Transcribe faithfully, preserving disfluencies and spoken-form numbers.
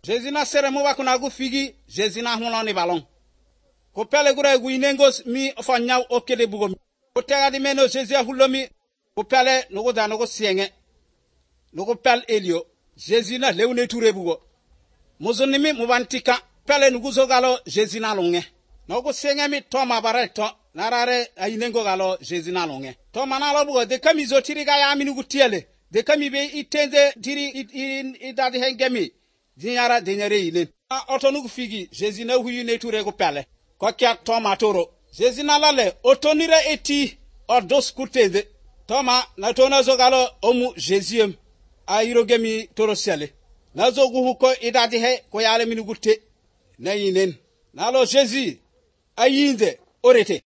Jésus na sere mo wa kuna gu figi Jésus na hono ni balon ko pele gure gu inengos mi fo nyaw o kede bugo ko tega di meno Jésus hulomi ko pele no go da no go sienge no go pel elio Jésus na lewne touré bugo mozonni mi mo bantika pele no go zogalo Jésus na longe no go sienge mi to ma bareto narare ayinengo galo Jésus na longe to manalo bugo de kamizo tiriga ya mi nugu tiele de kami be itende diri idadi hengemi dinyara denyare ile a otonugu figi Jésus na huyu ne touré go pele ko kya toma toro Jésus na lale otonire eti odos kutede toma na tona zogalo omu Jésus ayirogemi toro sele na zogu huko idadi he ko yale minugutte na yinen nalo Jésus ayinde orete